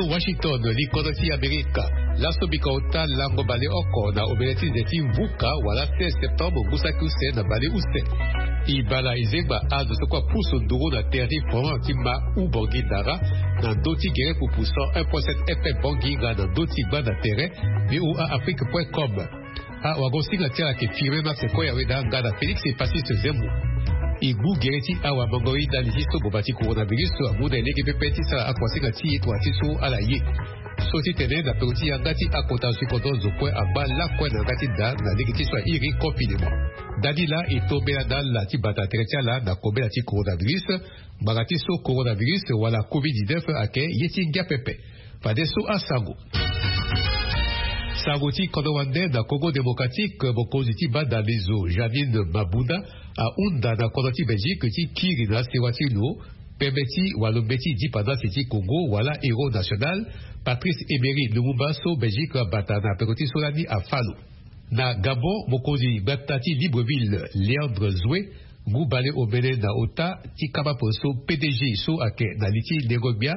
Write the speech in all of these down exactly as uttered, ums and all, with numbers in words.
Washington, likodro ti Amerika. Laso bika ota lango baleoko na omene ti nze ti mvuka wala seize septembre ngu saki use na baleuse. E bala e zengba azo so kue apusu nduru na tere ti front ti ma u Bangui Dara na ndö ti gere pupu cent un point sept F M Bangui nga na ndö ti gbanda tere V O A Afrique point com. Awagosinga ti ala ayeke Firmin Max Koyaweda nga na Félix Epassiste Zembo. E gbu gere ti awamango-ita ndali ti so boma ti coronavirus amu na e lege pepe ti sara akuasinga ti e tongana ti so ala ye. So ti tene na peko ti yanga ti akota zo ti kodro zo kue angba lakue na yanga ti da na lege ti so airi confinement. Dani laa e tombela na ala ti bata tere ti ala na kobela ti coronavirus. Ngbanga ti so coronavirus wala covid dix-neuf ayeke ye ti ngia pepe. Fadeso asango. Sango ti kodro wande na Congo Démocratique, mokonzi ti banda lezo Janine Mabunda ahunda na kodro ti Belgique ti kiri na asewa ti lo pembe ti walombeti dipandasi ti Congo wala héros national Patrice Emery Lumumba so Belgique abata na peko ti so lani afa lo. Na Gabon, mokonzi gbata ti Libreville Léandre Zoé ngu bale omene na ota ti kaba poso P D G so ayeke na li ti lengo gbia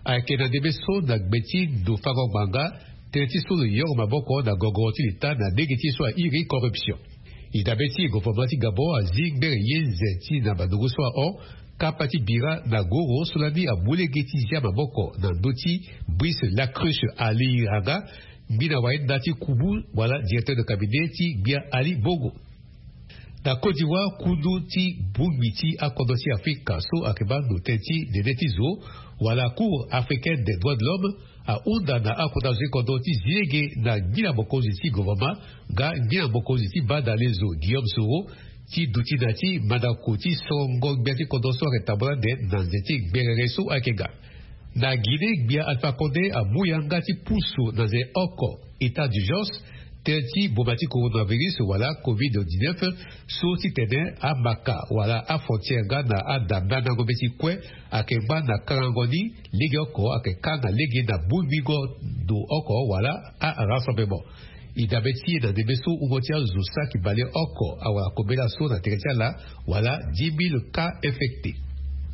ayeke na ndembe so na gbe ti ndo fango ngbanga tënë ti so lo yongo maboko na gogoro ti leta na lege ti so airi corruption. E dabe ti gouvernement ti Gabon azi ngbere ye nze ti na bandungu so ahon kapa ti bira na goro so lani amu lege ti zia maboko na ndö ti Brice Lacruche Ali Raga, ngbina wayenda ti kubu wala directeur de cabinet ti gbia Ali Bongo. Na Côte d'Ivoire, kundu ti bongbi ti akodro ti Afrika so ayeke baa ndo tënë ti nene ti zo wala Cour africaine des droits de l'homme ahunda na akota zo ti kodro ti zi lege na ngbina mokonzi ti gouvernement nga ngbina mokonzi ti banda lezo Guillaume Soro ti duti na ya ti mandako ti sorongo gbia ti kodro so ayeke tambula ande na nze ti gberere so ayeke ga. Na Guinée, gbia Alpha Condé amu yanga ti pusu na nze oko état d'urgence tënë ti boma ti coronavirus wala covid dix-neuf so titene amaka wala afrontière nga na ada mbandango mbeti kue ayeke ngba na kangango ni lege oko ayeke kanga lege na bongbingo ndo oko wala arassemblement. E dabe ti e na ndembe so wungo ti azo saki baleoko awara kobela so na tere ti ala wala dix mille cas infectés.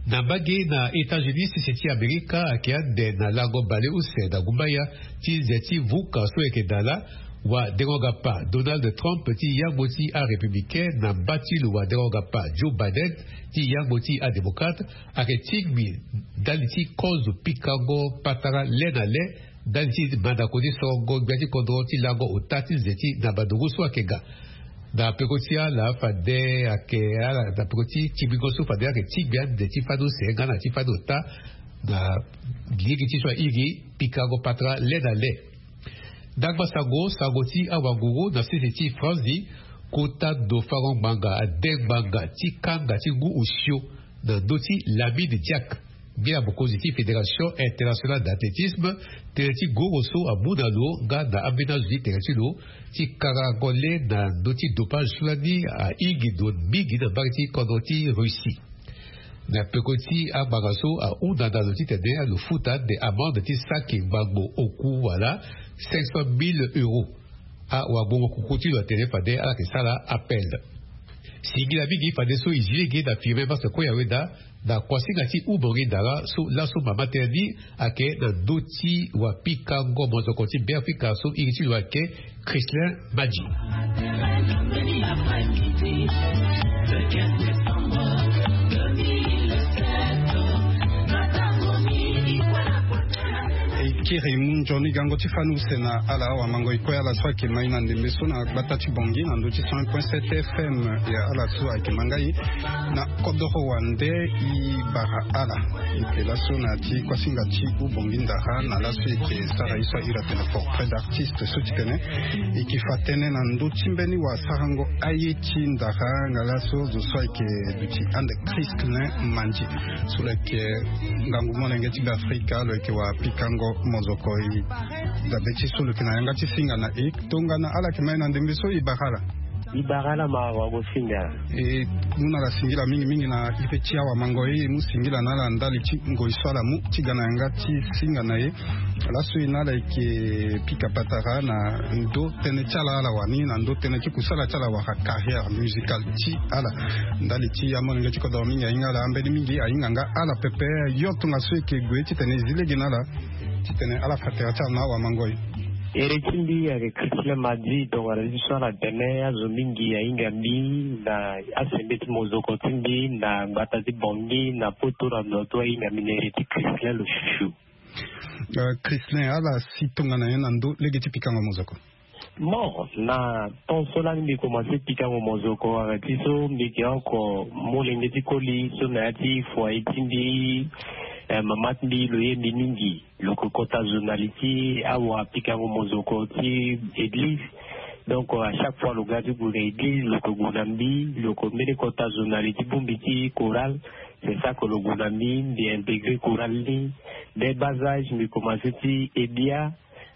Na mbage na États-Unis, sese ti Amerika ayeke ande na lango baleuse na gumbaya ti nze ti vuka so ayeke dala wadengo-gapa Donald Trump ti yango ti arépublicain na mba ti lo wadengo-gapa Joe Biden ti yango ti adémocrate ayeke tingbi ndali ti kozo pikango patara le na le ndali ti mandako ti sorongo gbia ti kodro ti lango ota ti nze ti na bandungu so ayeke ga. Na peko ti ala fade ayeke ala na peko ti tingbingo so fade ayeke tingbi ande ti fani use nga na ti fani ota na lege ti so airi pikango patara le na le. Ndangba sango, sango ti awanguru na sese ti Franzi, kota ndo fango ngbanga ade ngbanga ti kanga ti ngu osio na ndö ti Lamine Diack, ngbia mokonzi ti Fédération Internationale d'Athlétisme, tënë ti goro so amu na lo nga na ambeni azo ti tere ti lo ti karango le na ndö ti dopage so lani ahingi ndo mingi na mbage ti kodro ti Russie. Na peko ti angbanga so ahunda na lo titene lo futa ande amende ti saki ngbangbo oku wala cinq cent mille euros. Awagbongo kuku ti lo atene fade ala yeke sara appel. Singila mingi fadeso e zi lege na Firmin Max Koyaweda na kuasinga ti Oumori Dara so laso mama tënë ni ayeke na ndö ti wapikango monzoko ti Beafrika so iri ti lo ayeke Christlin Madji. E kiri mu nzoni gango ti fani use na ala awamango e kue ala so ayeke ma e na ndembe so na gbata ti Bangui na ndö ti cent un point sept F M. Ya ala so ayeke ma ngai na kodoro wande e bara ala. E yeke laso na ya ti kuasinga ti Oumori Dara na laso e yeke sara ye so a iri atene portrait d'artiste so titene e yeke fa tënë na ndö ti mbeni wasarango aye ti Dara nga laso zo so ayeke duti ande Christlin Madji so lo yeke ngangu molenge ti Beafrika lo yeke wapikango monzoko. E dabe ti so lo yeke na yanga ti singa na e. Tongana ala yeke ma e na ndembe so e bara ala. E bara ala ma wagosinga. E mu na ala singila mingi mingi na ipe ti awamango e, e mu singila na ala ndali ti ngoi so ala mu ti ga na yanga ti singa na e. Laso e na ala e yeke pika patara na ndö tënë ti ala ala wani na ndö tënë ti kusala ti ala wala carrière musicale ti ala. Ndali ti amolenge ti kodoro mingi ahinga ala, ambeni mingi ahinga nga ala pepe. Yo tongaso e yeke gue titene e zi lege na ala. Titene ala fa tere ti ala na awamangoi. Ere ti mbi ayeke Christian Madi, tongana ti so ala tene azo mingi ahinga mbi na asende ti mozoko ti mbi na gbata ti Bangui na poto na ndo ti ahinga mbi na ere ti Christian lo chuchu. Christian, ala si tongana nyen na ndo lege ti pikango mozoko? Bon, na temps so lani mbi komanse pikango mozoko, ayeke ti so mbi yeke oko molenge ti koli so na ya ti foyer ti mbi, eh, mama ti mbi lo ye mbi mingi. Lo yeke kota zo na li ti awa pikango mozoko ti église. Donc à chaque fois lo ga ti gue na église, lo yeke gue na mbi, lo yeke mbeni kota zo na li ti bongbi ti chorale. C'est ça que lo gue na mbi, mbi intégré chorale ni. Dès bas âge mbi komanse ti ebia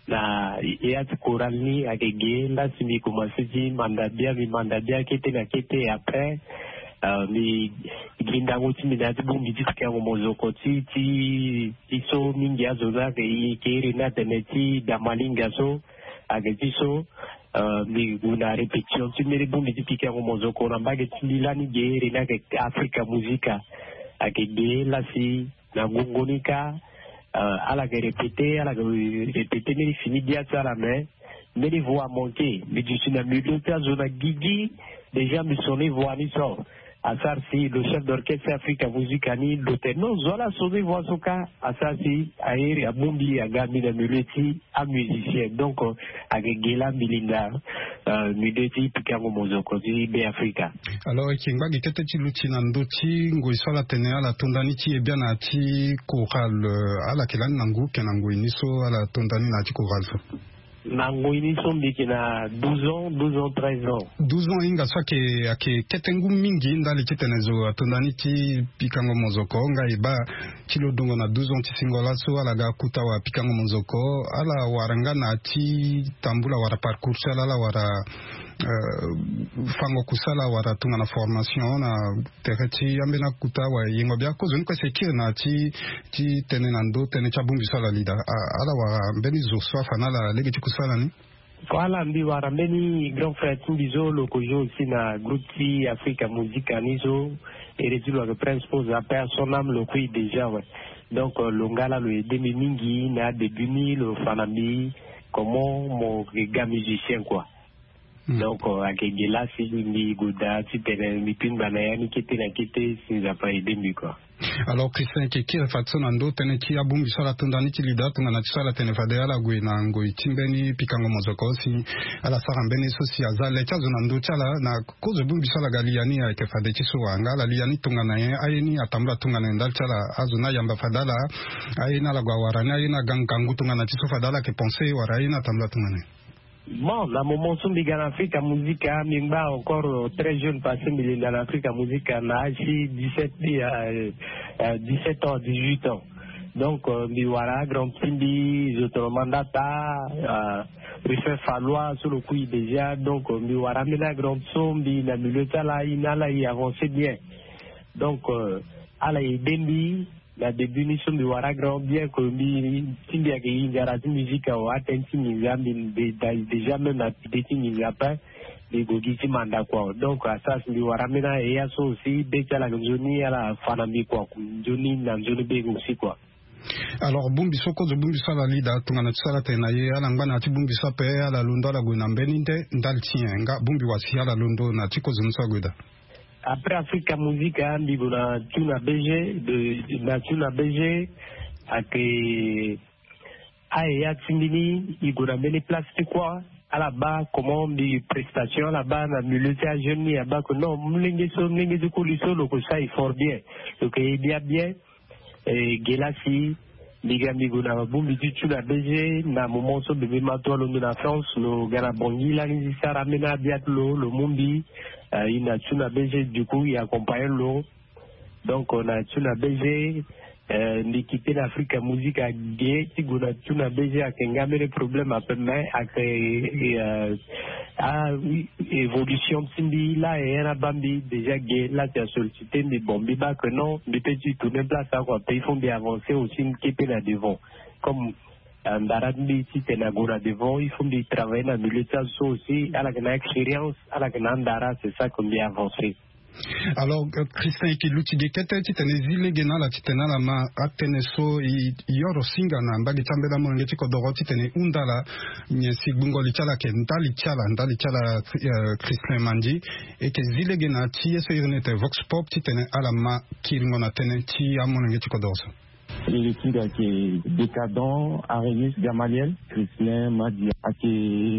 na ya ti chorale ni. Ayeke ge la si mbi komanse ti manda bia, mbi manda bia kete na kete. Après, euh, mbi gi ndango ti mbi na ya ti bongbi ti pikango mozoko ti, ti, ti so mingi azo ni ayeke iri ni atene ti damalinga so. Ayeke ti so, euh, mbi gue na répétition ti mbeni bongbi ti pikango mozoko na mbage ti mbi lani ge iri ni ayeke Africa Musica. Ayeke ge la si na ngongo ni kâ, euh, ala yeke répété, ala yeke répété mbeni fini bia ti ala, mais mbeni voix amanqué. Mbi duti na milieu ti azo na gigi, déjà mbi sonné voix ni so. Asara si lo chef d'orchestre Africa Musica ni lo tene non, zo ala sonné voix so kâ. Asara si airi abongbi aga mbi na milieu ti amusicien. Donc, euh, ayeke ge la mbi linda, euh, milieu ti pikango mozoko ti Be Afrika. Alors, e yeke ngba gi kete ti luti na ndö ti ngoi so ala tene ala to nda ni ti e biani na ya ti chorale, euh, ala yeke lani na ngu, yeke na ngoi ni so ala to nda ni na ya ti chorale so? Na ngoi ni so mbi yeke na douze ans, douze ans, treize ans. Douze ans hinga so ayeke, ayeke kete ngu mingi ndali titene zo ato nda ni ti pikango mozoko. Nga e baa ti lo dongo na douze ans ti singo laso ala ga akuta wala pikango mozoko. Ala wara nga na ya ti tambula wala parcours ti ala, ala wara, euh, fango kusala wala tongana formation na tere ti ambeni akuta wala yengo bia? Kozoni kue si e kiri na ya ti, ti tënë na ndö tënë ti abongbi so ala li daa. A, ala wara mbeni zo so afa na ala lege ti kusala ni? Voilà, mbi wara mbeni grand frère ti mbi so lo ko joue aussi na groupe ti Africa Musica ni so, ere ti lo ayeke Prince Pose, la paix à son âme, lo kui déjà, ouais. Donc, euh, lo nga la lo aidé mbi mingi na adébut ni, lo fa na mbi comment mo ga musicien, quoi. Hmm. Donc, euh, ayeke ge la si mbi gue daa titene mbi tingba na ya ni kete na kete si Nzapa aidé mbi, quoi. Alors, Christian, e yeke kiri fadeso na ndö tënë ti abongbi so ala to nda ni ti li daa tongana ti so ala tene fade ala gue na ngoi ti mbeni pikango mozoko si ala sara mbeni so si aza le ti azo na ndö ti ala. Na kozo bongbi so ala ga li ya ni ayeke fade ti so wa? Nga ala li ya ni tongana nyen? Aye ni atambula tongana nyen ndali ti ala? Azo ni ayamba fade ala? Aye ni ala gue awara ni? Aye ni aga ngangu tongana ti so fade ala yeke pensé wala aye ni atambula tongana nyen? Bon, na moment so mbi ga na Africa Musica, mbi ngba encore très jeune parce que mbi linda na Africa Musica na âge ti dix-sept, euh, euh, dix-sept ans, dix-huit ans. Donc, euh, mbi wara grand ti mbi, Zotolo Mandata, euh, Ruffin Fallois so lo kui déjà. Donc, euh, mbi wara ambeni grand so mbi na milieu ti ala, e na ala e avancé bien. Donc, euh, ala aidé mbi. Na début ni so mbi wara grand, bien que mbi ti mbi ayeke hinga na ti musique awe, atënë ti nginza mbi de-, da-, déjà même na pide ti nginza ape, mbi gue gi ti manda kua. Donc asara si mbi wara ambeni aye so aussi, be ti ala ayeke nzoni, ala fa na mbi kua, nzoni na nzoni be aussi, quoi. Alors bongbi so kozo bongbi so ala li daa tongana ti so ala tene na ye, ala ngba na ya ti bongbi so ape, ala londo ala gue na mbeni nde ndali ti nyen? Nga bongbi wa si ala londo na ti kozo ni so ague daa. Après Africa Musica, mbi gue na Tuna B G, de, na Tuna B G, ayeke aye ya ti mbi ni, e gue na mbeni place ti kua, ala baa comment mbi prestation, ala baa na milieu ti ajeune ni, abaa que non, molenge so, molenge ti koli so lo ko sara e fort bien, lo yeke ye bia bien. E ge la si mbi ga mbi gue na bongbi ti Tuna B G, na moment so bebe Mato alondo na France, lo ga na Bangui lani ti sara ambeni abia ti lo, lo mu mbi, euh, e na Tuna B G, du coup e accompagné lo. Donc, euh, na Tuna B G, euh, mbi quitté na Africa Musica ge ti gue na Tuna B G, ayeke nga mbeni problème ape, mais ayeke, euh, ah oui, évolution ti mbi la, e na baa mbi déjà ge la si a sollicité mbi, bon, mbi baa que non, mbi peut ti tourner place awe, quoi, pe il faut mbi avancer aussi, mbi kete na devant. Comme, euh, ndara ti mbi titene ague na devant, il faut mbi travailler na milieu ti azo so aussi, ala yeke na expérience, ala yeke na andara, c'est ça que mbi avancer. Alors, Christin, e ke luti ge kete titene e zi lege na ala titene ala ma atënë so e yoro singa na mbage ti ambela molenge ti kodoro titene e hunda ala nyen si gbungo li ti ala ayeke ndali ti ala ndali ti ala. Christin Mandi, e ke zi lege na ti ye so iri ni ete Vox Pop titene ala ma kiringo na tënë ti amolenge ti kodoro so. Lege ti mbi ayeke Décadent Arémus Gamaliel. Christin Mandi ayeke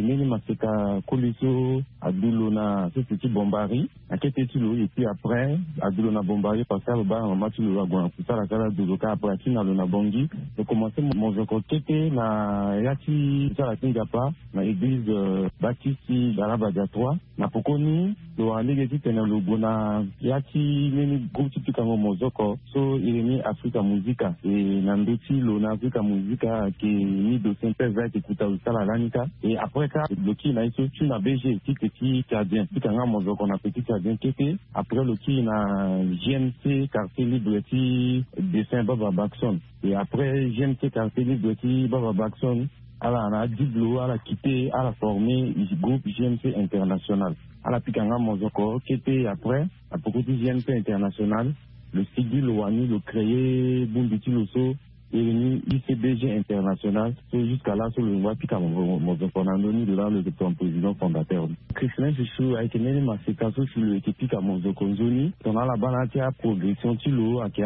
mbeni maseka koli so adu lo na sese ti Bombari. Na kete ti lo et puis après adu lo na Bombari parce que ababa na mama ti lo ague na kusala kala adu lo kâ après ati na lo na Bangui. Lo komanse mozoko kete na ya ti kusala ti Nzapa na eglize baptiste ti Dalabadia trois. Na pokoni lo wara lege titene lo gue na ya ti mbeni groupe ti pikango mozoko so iri ni Africa Musica. E na ndö ti lo na Africa Musica ayeke ni dossier mpeve ayeke kuta lo ti ala lani kâ. E après kâ lo kiri na ye so ti na B G ti Petit Tchadien ti ka nga mozoko na Petit Tchadien kete. Après lo kiri na G M C quartier libre ti dessin Baba Baxon. E après G M C quartier libre ti Baba Baxon, ala na adiblo ala kite ala forme groupe G M C international. Ala pika nga mozoko kete. Après na poko ti G M C international, lo sigi lo wani lo créer bongbi ti lo so iri ni I C B G international. So jusqu'à là so lo yongo apika mozoko na ndö ni, lo laa lo yeke ton président fondateur. Christin Chouchou ayeke mbeni maseka so si lo yeke pika mozoko nzoni tongana ala baa na ya ti aprogression ti lo ayeke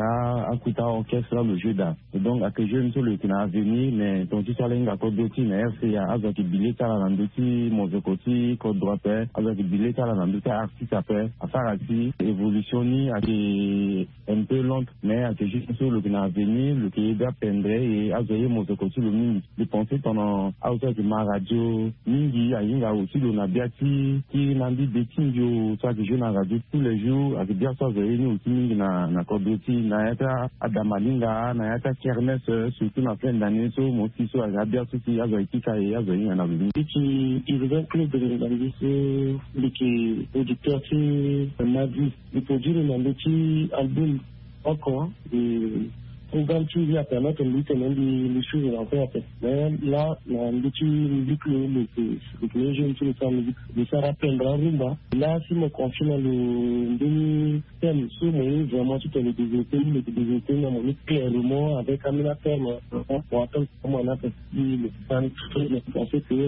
akuta orchestre la lo jeu da. Donc ayeke jeu ni so lo yeke na avenir mais tongana ti so ala hinga kodro ti na R C A azo ayeke bi le ti ala na ndö ti mozoko ti kodro ape. Azo ayeke bi le ti ala na ndö ti artiste ape. Asara si évolution ni ayeke un peu lente mais ayeke juste so lo yeke na avenir lo yeke ye bia pendre. E azo aye mozoko ti lo mingi. Lo pense tongana azo so ayeke ma radio mingi ahinga aussi lo na bia ti kiri na mbi be ti mbi o so ayeke jeu na radio tous les jours ayeke bia so azo aye ni aussi mingi na na kodro ti na ya ti adamalinga na ya ti akermesse surtout na fin d'année so mo si so ayeke abia so si azo ayeke kika e azo ahinga na lo mingi. Ti ti urbain club de ngangi so mbi yeke producteur ti madi. Mbi produire na ndö ti album oko. Programme ti mbi apermettre mbi titene mbi mbi suivre na kue ape. Mais là na ndö ti musique lo lo yeke lo yeke jeune ti lo sara musique. Mbi sara apendre arumba. Là si mo confie na lo mbeni thème so mo ye vraiment titene développer ni lo yeke développer ni na mo ni clairement avec ambeni athème. Mo attendre. Comment on appelle si le temps fait que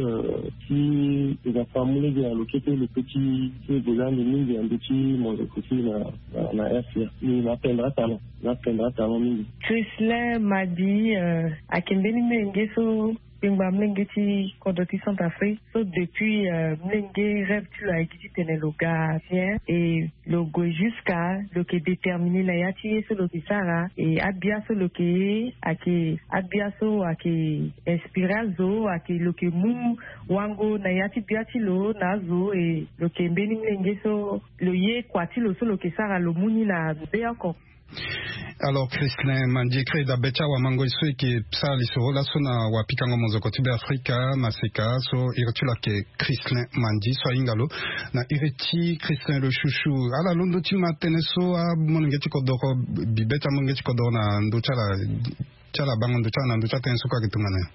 si eza fa mu lege na lo kete lo pe ti ti eza ande mingi ande ti mo lo ko ti na na na air fier ni na pendra talon na pendra talon mingi. Chrislin Madi, euh, ayeke mbeni mlenge so kpengba mlenge ti kodro ti Centrafrique so depuis, euh, mlenge rêve ti lo ayeke titene lo ga bien et lo gue jusqu'à lo yeke déterminer na ya ti ye so lo yeke sara. Et abia so lo yeke ye ayeke abia so ayeke inspiré azo ayeke lo yeke mu wango na ya ti bia ti lo na azo. Et lo yeke mbeni mlenge so lo ye kua ti lo so lo yeke sara lo mu ni na be oko. Alors Chrislin Mandi, e kiri dabe ti awamango so e yeke sara lisoro laso na wapikango mozoko ti Beafrika maseka so iri ti lo ayeke Chrislin Mandi so ahinga lo na iri ti Chrislin le chouchou. Ala londo ti ma tënë so amolenge ti kodoro, bi be ti amolenge ti kodoro na ndö ti ala ti ala bango ndö ti ala na ndö ti atënë so kue ayeke tongana nyen?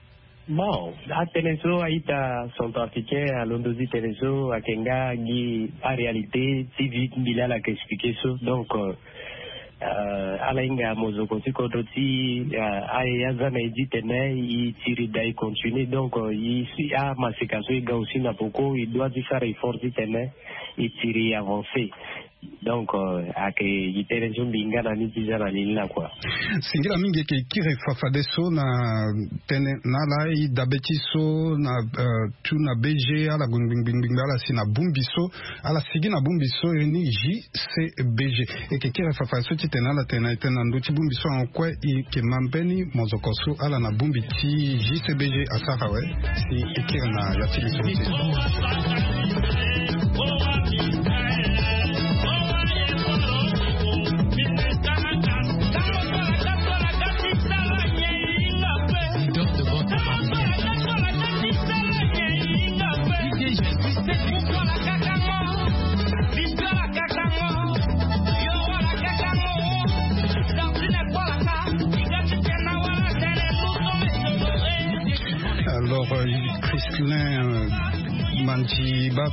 Bon, atënë so a-ita centrafricain alondo ti tënë so ayeke nga gi aréalité ti vie ti mbi laa ala yeke expliqué so. Donc, euh, ala hinga mozoko ti kodro ti, euh, aye aza na e ti tene e tiri daa e continué. Donc, euh, e si amaseka so e ga aussi na poko e doit ti sara effort ti tene e tiri e avancé. Donc, euh, ayeke gi tënë so mbi hinga na ni ti za na ni ni la kua. Singila mingi e yeke kiri fafadeso na tënë na ala e dabe ti so na, euh, tu na B G ala gue ngbingbingbingbi ala si na bongbi so ala sigi na bongbi so e ni J C B G. E yeke kiri fafadeso titene ala tene na e tene na ndö ti bongbi so ahon kue e yeke ma mbeni mozoko so ala na bongbi ti J C B G asara awe. Si e kiri na ya ti lisoro ti e. Alors, euh, Chrislin, euh, Manzi baa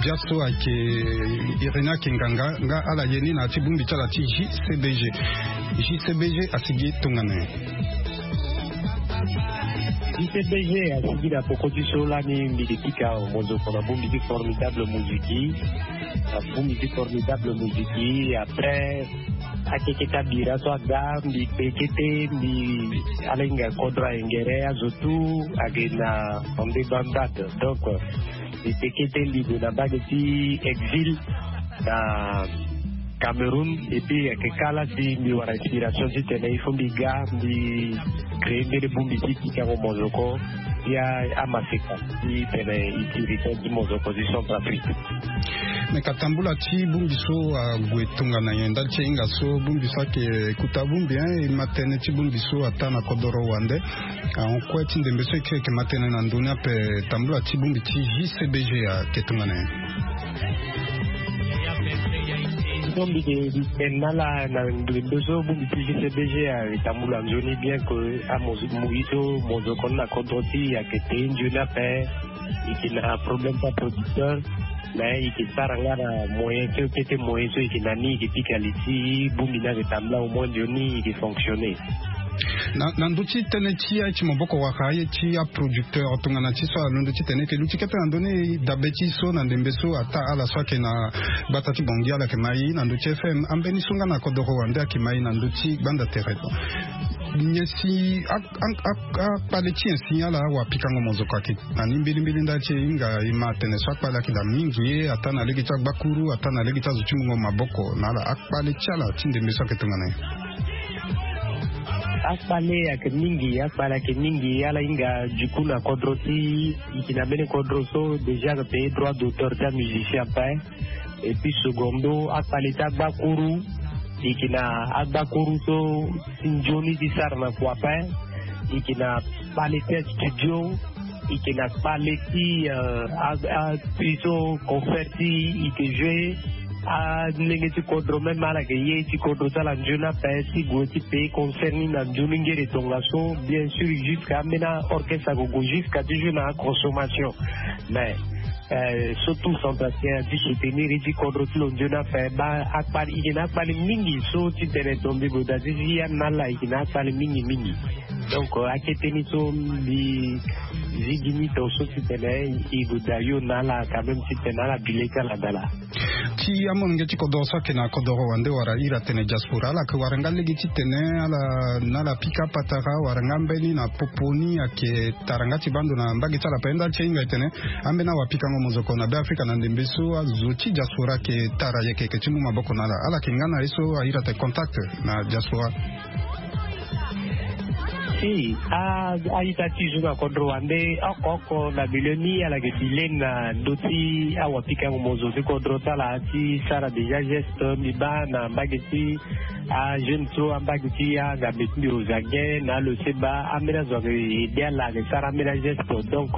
biaso ayeke, irene ayeke nganga nga ala ye ni na ya ti bongbi ti ala ti jcbg. Jcbg asigi tongana nyen? Jcbg asigi na poko ti so lani mbi ke pika mozoko na bongbi ti formidable moziki. Na bongbi ti formidable moziki après akeketa bira so aga mbi kpe kete mbi ala hinga kodro ayengere azo tu. Ake na ande bandate donc mbi kpe kete libre na bage ti exil na cameroun. Et puis ake kala si mbi wara inspiration ti tene il faut mbi ga mbi cree mbeni bongbi ti pikango mozoko ya amaseka ti tene itirite ti mozoko ti centre afrique. Me ka tambula ti bongbi so ague tongana nyen ndali ti e hinga so bongbi so ayeke kuta bongbi e ma tënë ti bongbi so ata na kodoro wande? Ahon kue ti ndembe so e kiri eke ma tënë na ndoni ape tambula ti bongbi ti jcbg ayeke tongana nyen? Bongbi de mbi tene na ala na ndembe so bongbi ti jcbg ayeke tambula nzoni bien ke amozi moyi so mozoko ni na kodro ti e ayeke te nzoni ape. Eke na problème ti aproducteur mais eke sara nga na moyen so kete moyen so eke na ni eke pika li ti bongbi ni ake tambula au moins nzoni eke fonctionner. Na ndö ti tënë ti aye ti maboko wala aye ti aproducteur tongana ti so alondo ti tene eke luti kete na ndö ni dabe ti so na ndembe so ata ala so ayeke na gbata ti bongi ala yeke ma ye na ndö ti fm ambeni so nga na kodoro wande ayeke ma ye na ndö ti gbanda tere. Nyen si akpale ti nyen si ala awapikango mozoko ayeke na ni mbilimbili ndali ti e hinga e ma atene so akpale ayeke daa mingi ye ata na lege ti agbakuru ata na lege ti azo ti mungo maboko na ala akpale ti ala ti ndembe so ayeke tongana nyen? Akpale ayeke mingi akpale ayeke mingi ala hinga duku na kodro ti e yeke na mbeni kodro so déjà ayeke payé droit d'auteur ti amusicien ape. Et puis secondo akpale ti agbakuru e yeke na agbakuru so ti nzoni ti sara na kua ape. E yeke na kpale ti astudio. E yeke na kpale ti api so concert ti e yeke jouer. Alenge ti kodro même ala yeke ye ti kodro ti ala nzoni ape ti gue ti payé concert ni na nzoni ngere tongaso bien sûr jusque ambeni aorchestre ako gue jusque ti jouer na aconsommation. Mais so tout centrafricain ti soutenir ti kodro ti lo nzoni ape baa akpali e yeke na akpali mingi so ti tene tombi goda ti si ya na ala e yeke na akpali mingi mingi. Donc akete ni so mbi zigi ni to so ti tene e goda yo na ala quand même ti tene ala bile ti ala dala. Ti amolenge ti kodoro so ayeke na kodoro wande wala iri atene diaspora ala yeke wara nga lege ti tene ala na ala pika patara wala nga mbeni na popo ni ayeke tara nga ti baa ndo na mbage ti ala ape ndali ti e hinga e tene ambeni awapikango mozoko na be afrika na ndembe so azo ti diaspora ayeke tara yeke yeke ti mu maboko na ala ala yeke nga na ye so airi atene contact na diaspora. Si a a-ita ti zo na kodro wande oko oko na milieu ni ala yeke bi leni na ndö ti awapikango mozo ti kodro ti ala ti sara déjà geste mbi baa na mbage ti ajeune so ambage ti angambe ti mbi ozange na alose baa ambeni azo ayeke ede ala ayeke sara ambeni ageste donc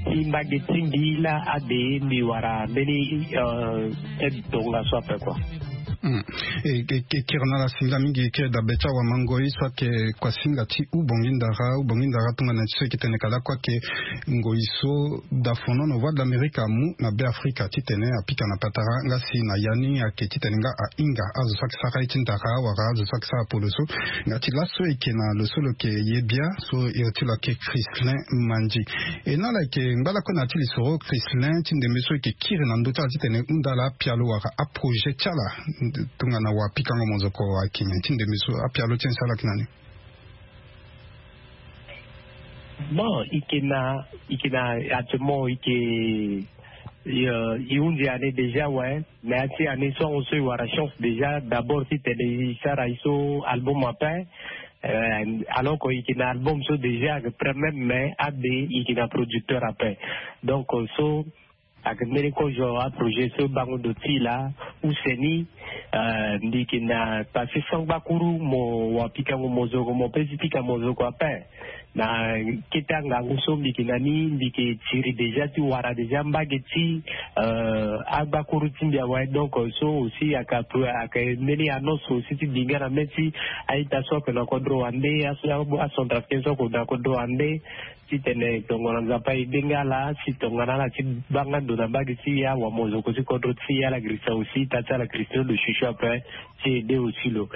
ti mbage ti mbi laa ade mbi wara mbeni aide tongaso ape kua. E kiri na ala singa mingi e kiri dabe ti awamangoi so ayeke kua singa ti ubongi ndara ubongi ndara tongana ti so e yeke tene ka lakue ayeke ngoi so dafono na voie de l'amérique amu na be afrika titene apika na patara nga si na ya ni ayeke titene nga ahinga azo so ayeke sara ye ti ndara wala azo so ayeke sara poloso. Nga ti laso e yeke na lo so lo yeke ye bia so iri ti lo ayeke chrislin mandi. E na ala yeke ngba lakue na ya ti lisoro chrislin ti ndembe so e yeke kiri na ndö ti ala titene hunda ala apialo wala aprojet ti ala tongana wapikango mozoko ayeke nyen ti ndembe so apialo ti nyen si ala yeke na ni? Bon e yeke na e yeke na actuellement e yeke e hunzi année déjà awe. Mais ya ti année so ahon so e wara chance déjà d'abord titene e sara e so album ape. Alors que e yeke na album so déjà ayeke prêt même mais ade e yeke na producteur ape. Donc so ayeke mbeni kozo aprojet so bango ndo ti e laa use ni. Euh, mbi yeke na pase sangbakuru mo wa pikango mozoko mo pe ti pika mozoko ape. Na kete angangu so mbi yeke na ni mbi yeke tiri déjà ti wara déjà mbage ti euh, agbakuru ti mbi awe. Donc so aussi aka aka mbeni annonce aussi ti bi nga na mê ti a-ita so ake na kodro wande, acentrafricain so ake na kodro wande, titene tongana Nzapa aide nga ala si tongana ala ti baa nga ndo na mbage ti awamozoko ti kodro ti ala Christian aussi, ita ti ala Christian lo chuchu ape ti aide aussi lo.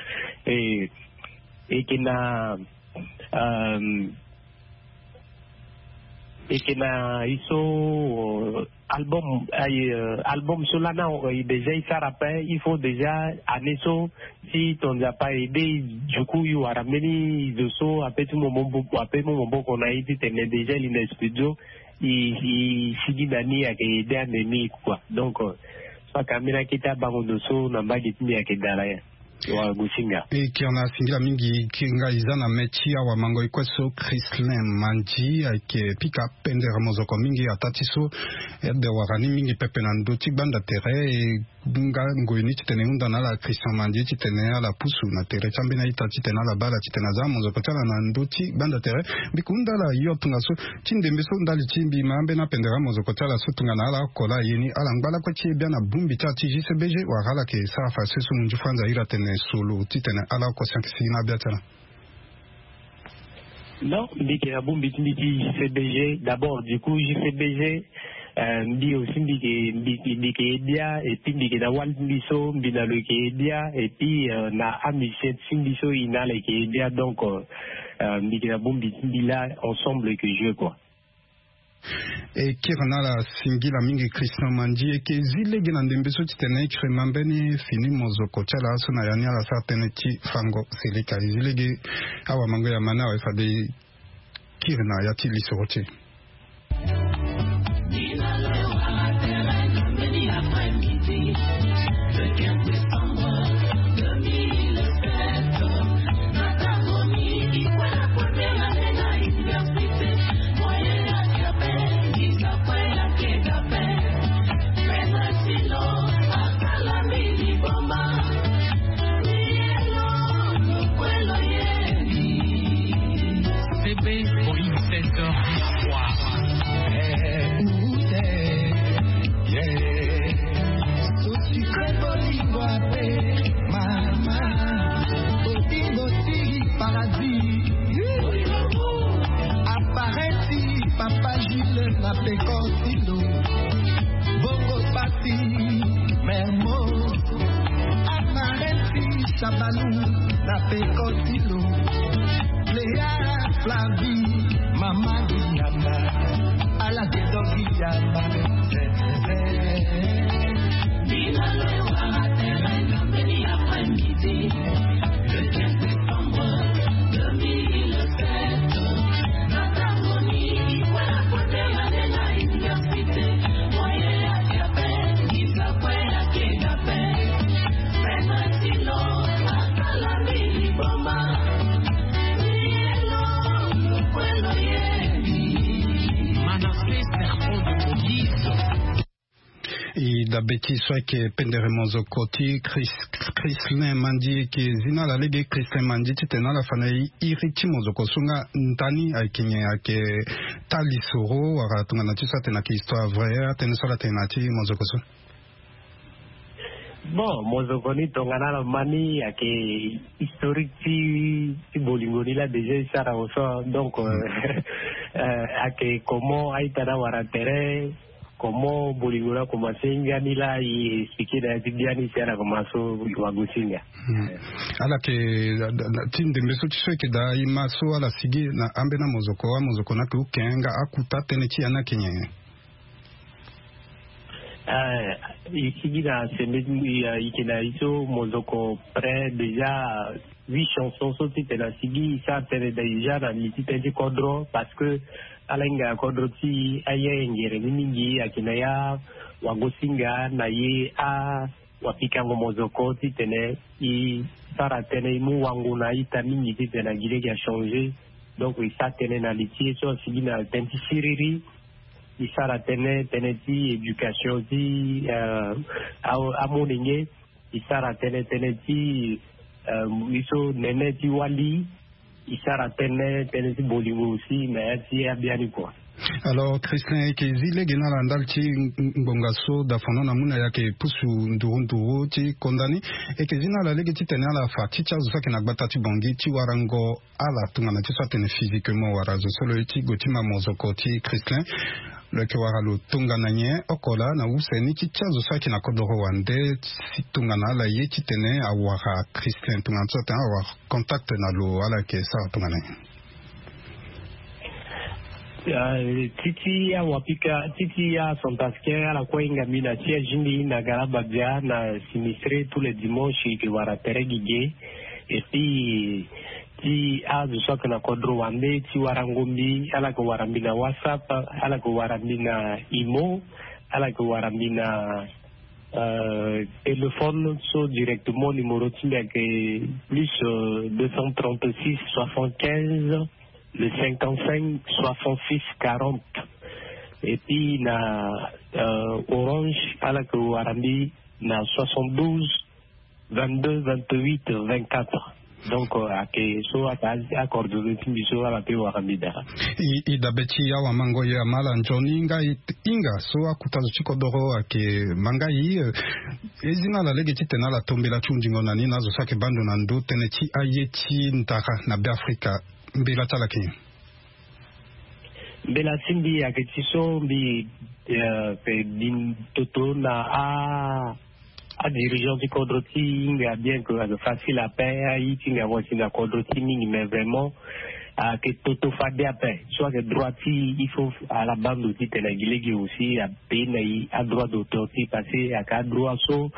E e yeke na euh, e yeke na e so euh, album aye euh, album so lani awe déjà e sara ape. Il faut déjà année so si ton Nzapa aide e, du coup e wara mbeni zo so ape ti mu maboko ape mu maboko na e titene déjà e li na studio. E e sigi na ni ayeke aide ande ni kua. Donc euh, so aka mbeni akete abango ndo so na mbage ti mbi ayeke dala ya. Wa Gosinga. E kiri na singila mingi, kiri nga e za na mê ti awamango e kue so Christlin Mandy ayeke pika pendere mozoko mingi ataa ti so. Ade wara ni mingi pepe na ndö ti gbanda tere e nga ngoi ni titene e hunda na ala Christian Mandy titene ala pusu na tere ti ambeni a-ita titene ala baa ala titene aza mozoko ti ala na ndö ti gbanda tere. Mbi yeke hunda ala yo tongaso ti ndembe so ndali ti mbi ma ambeni apendere amozoko ti ala so tongana ala oko laa aye ni ala ngba lakue ti e bia na bongbi ti ala ti J C B G wala ala yeke sara fadeso so mo nzi fo anze ahiri atene solo titene ala oko si ayeke sigi na abia ti ala. Non, mbi yeke na bongbi ti mbi ti J C B G d'abord. Du coup J C B G euh, mbi aussi mbi yeke mbi yeke mbi yeke ye bia et puis mbi yeke na wali ti mbi so mbi na lo yeke ye bia et puis euh, na amusicien ti mbi so e na ala yeke ye bia. Donc euh, mbi yeke na bongbi ti mbi laa ensemble e yeke jouer kua. E kiri na ala singila mingi Christian Mandy. E yeke zi lege na ndembe so titene e kiri ma mbeni fini mozoko ti ala so na ya ni ala sara tënë ti fango seleka. E zi lege awamango ya ma ni awe fade e kiri na ya ti lisoro ti e. Bébé Boeing sept heures du soir. Sucré bolingo ape mama, bolingo ti paradis. Aparenti papa Gilles na peko ti lo. Bongo pasi mermo. Aparenti sabalu na peko ti lo. Lea Flavi mama Diana. Ala te doki ya ba. Manassé, serpent de police. E dabe ti so ayeke pendere mozoko ti Chris, Christlin Mandy. E yeke zi na ala lege Christlin Mandy titene ala fa na e iri ti mozoko so nga ndani ayeke nyen, ayeke taa lisoro wala tongana ti so atene ayeke histoire vraie, atënë so ala tene na ya ti mozoko so? Bon, mozoko ni tongana ala ma ni ayeke historique ti ti bolingo ni laa déjà e sara au so. Donc euh, euh, ayeke comment a-ita ni awara tere, comment bolingo ni akomanse hinga ni laa e expliquer na ya ti biani si ala komanse so. Wa Gosinga. Ala yeke ti ndembe so ti so e yeke daa e ma so ala sigi na ambeni amozoko, amozoko ni ayeke uke nga akuta, tënë ti ya ni ayeke nyen? Eh, e sigi na sende ti mbi, eh, e yeke na e so mozoko près déjà huit chansons so titene asigi e sara tënë déjà na li ti tënë ti kodro, parce que ala hinga kodro ti e aye ngere ni mingi ayeke na ya. Wa Gosinga na ye a wa pikango mozoko titene e sara tënë e mu wango na a-ita mingi titene na gi lege achanger. Donc e sara tënë na li ti e so asigi na tënë ti siriri. E sara tënë, tënë ti éducation ti, eh, a, amolenge. e sara tënë tënë ti, euh, e so nene ti wali, e sara tënë tënë ti bolingo aussi na ya ti abiani kua. Alors Christian, e ke zi lege na ala ndali ti ngbonga so dafono na mu na e ayeke pusu nduru nduru ti konda ni. E ke zi na ala lege titene ala fa ti ti azo so ayeke na gbata ti Bangui ti warango ala tongana ti so atene physiquement wala zo so lo ye ti gue ti ma mozoko ti Christian. Lo yeke wara lo tongana nyen oko laa na use ni ti ti azo so ayeke na kodoro wande si tongana ala ye titene awara Christian tongana so atene awara contact na lo, ala yeke sara tongana nyen? Ah, ti ti awapika ti ti acentrafricain ala kue ahinga mbi na ti azingbi na Galabadia na sinistré tous les dimanches e yeke wara tere gigi. Et puis ti azo so ayeke na kodro wande ti warango mbi, ala yeke wara mbi na WhatsApp, ala yeke wara mbi na Imo, ala yeke wara mbi na euh, téléphone so directement, numéro ti mbi ayeke plus, euh, deux cent trente-six soixante-quinze le cinquante-cinq soixante-six quarante. Et puis na, euh, Orange, ala yeke wara mbi na soixante-douze vingt-deux vingt-huit vingt-quatre. Donc, euh, ayeke so ayeke acoordonné ti mbi so ala pe wara mbi daa. E, e dabe ti awamango ye ama ala nzoni nga e hinga so akuta zo ti kodoro ayeke ma nga e, euh, e zi na ala lege titene ala to mbela ti hundingo na ni na azo so ayeke baa ndo na ndö tënë ti aye ti ndara na Beafrika. Mbela ti ala ayeke nyen? Mbela ti mbi ayeke ti so mbi, euh, pe bin toto na a, adirigeant ti kodro ti hinga, bien que ayeke facile ape, aye ti hinga mo si na kodro ti mingi, mais vraiment ayeke toto fade ape. So ayeke droit ti, il faut ala baa ndo titene gi lege aussi ape na e adroit d'auteur ti, parce que ayeke adroit so,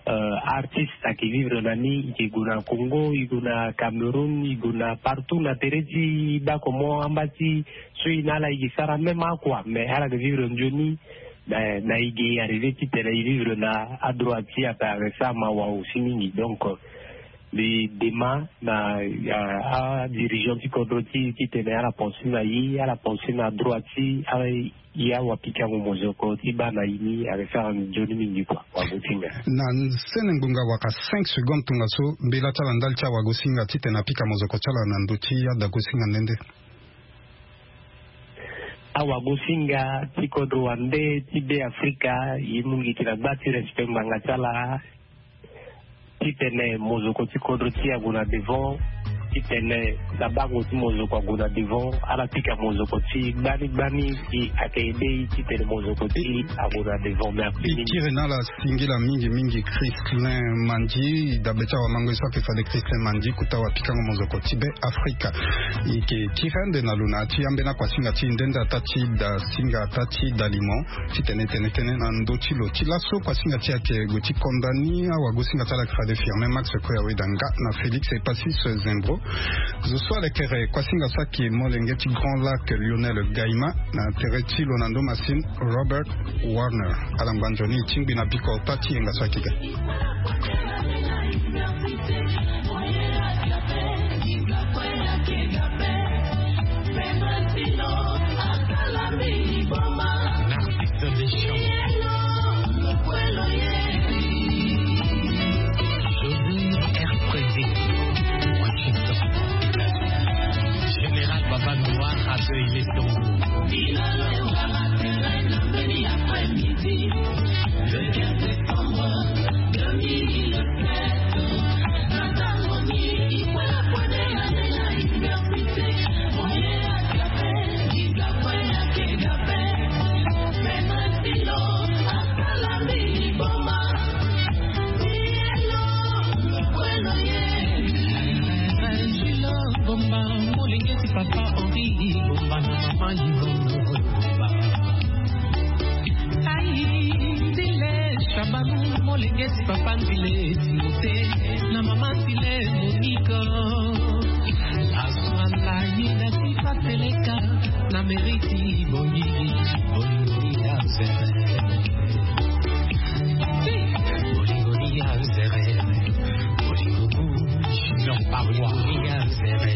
euh, artiste ayeke vivre na ni, e yeke gue na Congo, e gue na Cameroun, e gue na partout na tere ti baa comment amba ti so e na ala e ke sara même akua, mais ala ke vivre nzoni na, na e ke arrivé titene e vivre na adroit ti ape, ayeke sara mawa aussi mingi. Donc, euh, mbi dema na, euh, adirigeant ti kodro ti, titene ala pensé na e, ala pensé na droit ti, ala, e awapikango mozoko ti baa na e ni, ayeke sara nzoni mingi kua. Wagosinga. Na sene ngbonga wala cinq secondes tongaso, mbela ti ala ndali ti awagosinga titene apika mozoko ti ala na ndö ti adagosinga nde nde. Awagosinga ti kodro wande ti Beafrika, e mu gi ti na gba ti respect ngbanga ti ala, titene mozoko ti kodro ti e ague na devant, titene na bango ti mozoko ague na devant, ala pika mozoko ti gbani gbani, e ayeke aidé e titene mozoko ti e ague na devant. Merci mingi. E kiri na ala singila mingi mingi Christlin Mandy, dabe ti awamango ye so ayeke fade Christlin Mandy, kota wapikango mozoko ti Beafrika. E yeke kiri ande na lo na ya ti ambeni akuasinga ti e nde nde ataa ti da singa ataa ti da limo titene tene tënë na ndö ti lo. Ti laso kuasinga ti e ayeke gue ti konda ni, awagosinga ti ala ayeke fade Firmin Max Koya Weda nga na Félix Epasis Zembro. Zo so ala yeke re kuasinga so ayeke molenge ti Grand Lac Lionel Gaima, na tere ti lo na ndo masini Robert Warner. Ala ngba nzoni e tingbi na biko ota ti yenga so ayeke ga. L'artiste des champs. José R P D, Washington. Général Baba Noir accueille les tambours. Le quinze décembre deux mille sept, Ai, Ndile Shabanou, molenge ti papa Ndile Timote, na mama Ndile Monique. Lazwa na yina ti pateleka, na mairie ti Bangui, Bangui ya zere. Bolingo ni ya zere, bolingo ku, junior parois. Bolingo ni ya zere,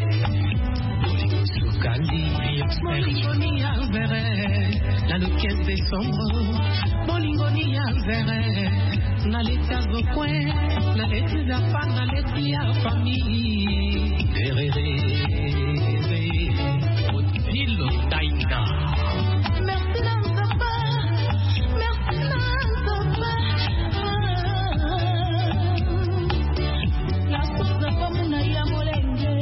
bolingo suka. Bolingo ni ya vere, na le quinze décembre. Bolingo ni ya vere, na leti ya zokwe, na leti zapa, na leti ya famille.